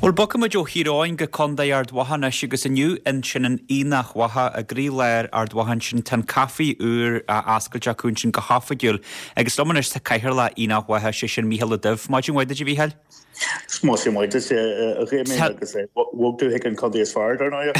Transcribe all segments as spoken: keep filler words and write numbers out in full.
Bhuel, bogfaidh muid ó Thír Eoghain go Contae Ard Mhacha anois agus inniu ansin in Aonach Mhacha i gcroílár Ard Mhacha ansin tá an caife úr á oscailt acu ansin go hoifigiúil agus liom anois tá cathaoirleach Aonach Mhacha, sé sin Mícheál Ó Duibh. Maidin mhaith duit, a Mhícheáil. Maidin mhaith duit, a Dhamien, agus bhog tú chuig an contae is fearr, dar ndóigh.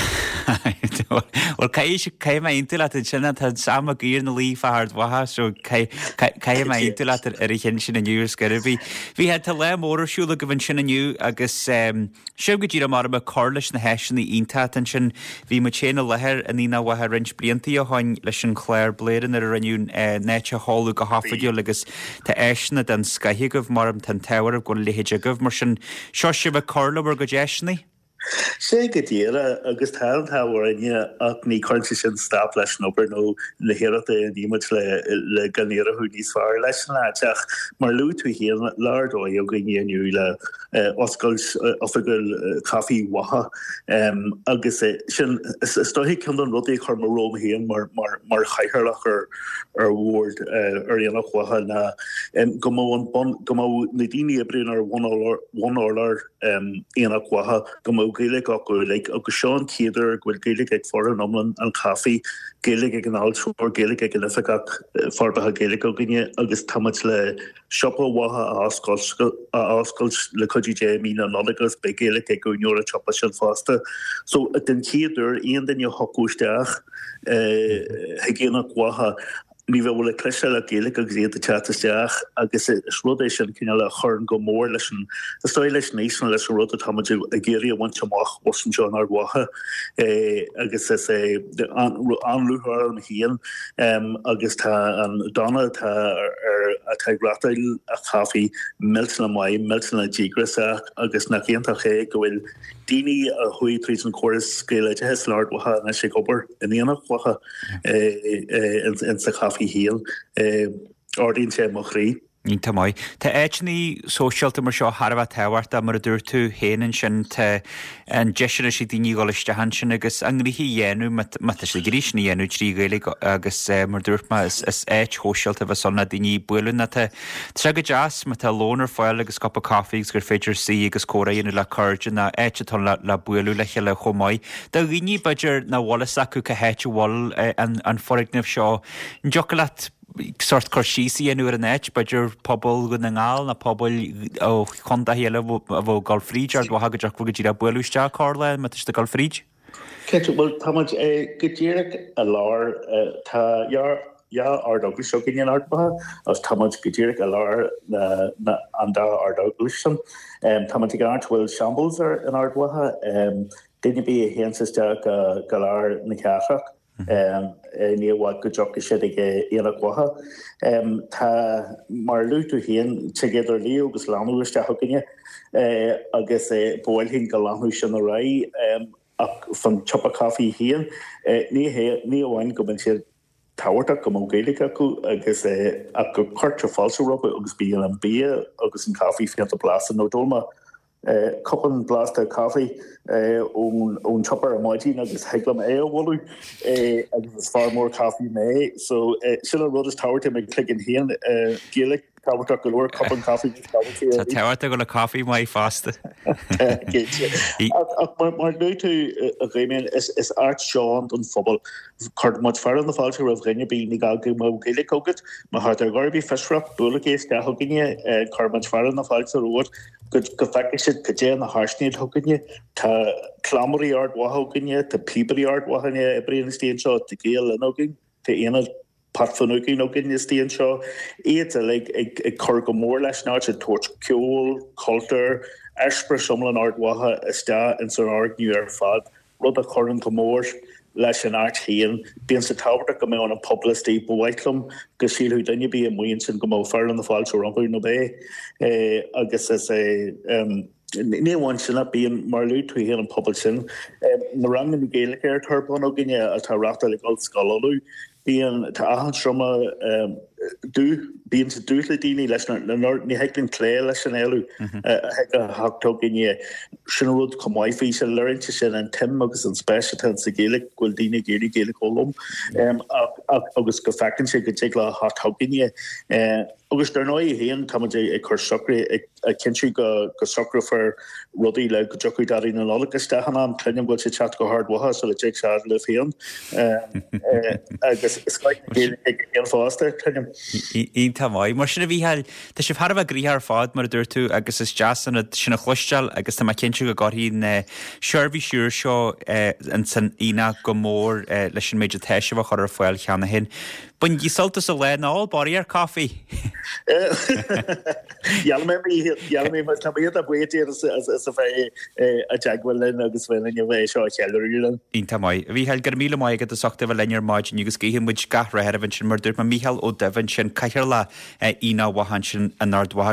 Bhuel, caithfidh mé aontú leat ansin, tá Sam Mac Uidhir ina luí fá Ard Mhacha so caithfidh mé aontú leat ar an cheann sin inniu ar scor ar bith. Bhí tá lá mór ar siúl agaibh ansin inniu agus seo go díreach mar ag cur leis na háiseanna iontacha ansin. Bhí muid féin i láthair in Aonach Mhacha roinnt blianta ó shin leis an chlár Bladhaire nuair a rinneadh an áit a sheoladh go hoifigiúil agus tá áiseanna den scoth agaibh mar tá an t-ádh oraibh go bhfuil a leithéid agaibh mar sin seo sibh ag cur le bhur gcuid áiseanna. Sé go díreach agus tá an t-ádh orainne ach ní chuireann sé sin stop leis an obair nó na hiarrachtaí a dhéanaimid le le go n-éireodh níos fearr leis an áit ach mar luaigh tú féin lá ar dóigh againne inniu le oscailt oifigiúil Caife Mhacha agus sin is dóiche ceann de na rudaí a chuir mé romham féin mar mar mar chathaoirleach ar ar bhord ar Aonach Mhacha ná go mbeadh an bun go mbeadh na daoine a oibríonn ar bhun-urlár Aonach Mhacha go mbeadh Gaeilge acu uilig agus seo an chéad uair go bhfuil Gaeilge ag foireann iomlán an chaife, Gaeilge ag an fháilteoir, Gaeilge ag an oifigeach forbartha Gaeilge againne agus tá muid le siopa Mhacha a oscailt a oscailt le cuidiú Dé i mí na Nollag agus beidh Gaeilge ag úinéir an tsiopa sin fosta. So den chéad uair aon duine a thiocfadh isteach chuig Aonach Mhacha ní bheadh le cloisteáil ach Gaeilge agus iad ag teacht isteach agus is rud é sin cineál a chuireann go mór leis an is dóigh leis an fhís nó leis an rud atá muid ag iarraidh a bhaint amach thuas anseo in Ard Mhacha agus is é an-lúcháir orm féin agus tá an Donna atá ar atá ag reáchtáil an chaife millteanach maith, millteanach díograiseach agus nach iontach é go bhfuil daoine a chuaigh tríd an chóras Gaeloideachais in Ard Mhacha anois ag obair in Aonach Mhacha in sa chaife féin. Ardaíonn sé mo chroí. Iontach maith. Tá áiteanna sóisialta mar seo thar a bheith tábhachtach mar a dúirt tú féin ansin tá an deis anois ag daoine dhul isteach ansin agus a ngnoithe a dhéanamh má tá siad ag iarraidh sin a dhéanamh trí Ghaeilge agus mar dúirt mé is áit shóisialta a bheas ann le daoine bualadh nó tá sé go deas má tá lón ar fáil agus cupa caife agus gur féidir suí agus comhrá a dhéanamh le cairde nó áit atá le le bualadh le chéile chomh maith. Do dhaoine b'fhéidir nach bhfuil fhios acu cá háit a bhfuil an foirgneamh seo, an dtiocfadh leat sórt cur síos a dhéanamh ar an áit, b'fhéidir pobal Dhún na nGall nó pobail ó chontaetha eile a bheadh ag dul fríd Ard Mhacha go dtiocfadh go díreach bualadh isteach corrlá má tá siad ag dul fríd? Cinnte, bhuel tá muid go díreach i lár, tá dhá Ard-Eaglais againn in Ard Mhacha agus tá muid go díreach i lár na an dá Ard-Eaglais sin. Tá muid ag áit a bhfuil Shambles ar in Ard Mhacha, duine ar bith a théanns isteach go lár na cathrach ní i bhfad go dtiocfaidh siad ag Aonach Mhacha. Tá, mar a luaigh tú féin, tig idir liú agus leanbh isteach chugainne agus ba mhaith linn go leanfadh sin ar aghaidh ach fan tsiopa caife féin, ní hé ní amháin go mbíonn siad tábhachtach go mbeadh Gaeilge acu agus ach go cuirtear fáilte rompu agus bíonn an bia agus an caife fiánta blasta nó d'ól mé cupán blasta caife ón ón tsiopa ar maidin agus thig liom é a mholadh agus is fear mór caife mé so sin an rud is tábhachtaí i mo chloigeann féin Gaeilge tábhachtach go leor cupán caife níos tábhachtaí Tá tábhachtach go le caife maith fosta. Ach mar a luaigh tú a Dhamien is is áit seo don phobal. Cuireann muid fearadh na fáilte roimh dhuine ar bith ní gá go mbeadh Gaeilge agat má tá tú ar chor ar bith fiosrach buailigí isteach chugainne cuireann muid fearadh na fáilte romhat go go bhfeicfidh siad cad é na háiseanna atá againne. Tá cleamairí Ard Mhacha againne, tá píobairí Ard Mhacha a oibríonn istigh anseo, tá Gael Linn againn, tá aonad Pat Finucane againn istigh anseo, iad uilig ag cur go mór leis an áit, ag tabhairt ceol, cultúr, eispéireas iomlán Ard Mhacha isteach ins an fhoirgneamh ar fad, rud a chuireann go mór leis an áit féin. Bíonn sé tábhachtach go mbeadh an pobal istigh. Ba mhaith liom go sílfeadh duine ar bith amuigh ansin go mbeadh fearadh na fáilte rompu nó b'é agus is é Ní amháin sin ach bíonn, mar a luaigh tú féin, an pobal sin, na ranganna Gaeilge atá ar bun againne atá á reáchtáil ag Ollscoil Uladh, bíonn, tá achan seomra dubh, bíonn sé dubh le daoine leis na, ní thig linn cloí leis an éileamh a thig a theacht chugainne. Sin an rud chomh maith faoi sin, léiríonn sé sin an tsuim agus an spéis atá sa Ghaeilge, go bhfuil daoine ag iarraidh Gaeilge a fhoghlaim ach, agus go bhfeiceann siad go dtig leo a theacht chugainne. Agus dar ndóigh féin, tá muid ag cur socruithe, ag cinntiú go socrófar rudaí le go dtiocfaidh Daidí na Nollag isteach in am. Cluinim go bhfuil sé ag teacht go hArd Mhacha sula dtig sé fhad libh féin. Agus scoith na Gaeilge aige féin fosta, cluinim. Iontach maith. Mar sin a Mhícheáil, tá sibh thar a bheith gnoitheach ar fad, mar a dúirt tú, agus is deas an rud sin a chloisteáil agus tá mé cinnte go gcuirfidh an seirbhís úr seo ins an aonach go mór leis an méid atá sibh a chur ar fáil cheana féin. Bainigí sult as an lá nó ól barraíocht caife! Dhéanfaidh mé, tá mé iontach buíoch díot as a bheith i dteagmháil linn agus bheith linn a bheith seo a cheiliúradh linn. Iontach maith. A Mhícheáil, go raibh míle maith agat as ucht a bheith linn ar maidin agus guíonn muid gach rath oraibh ansin mar dúirt mé Mícheál Ó Duibh ansin, Cathaoirleach Aonach Mhacha ansin in Ard Mhacha.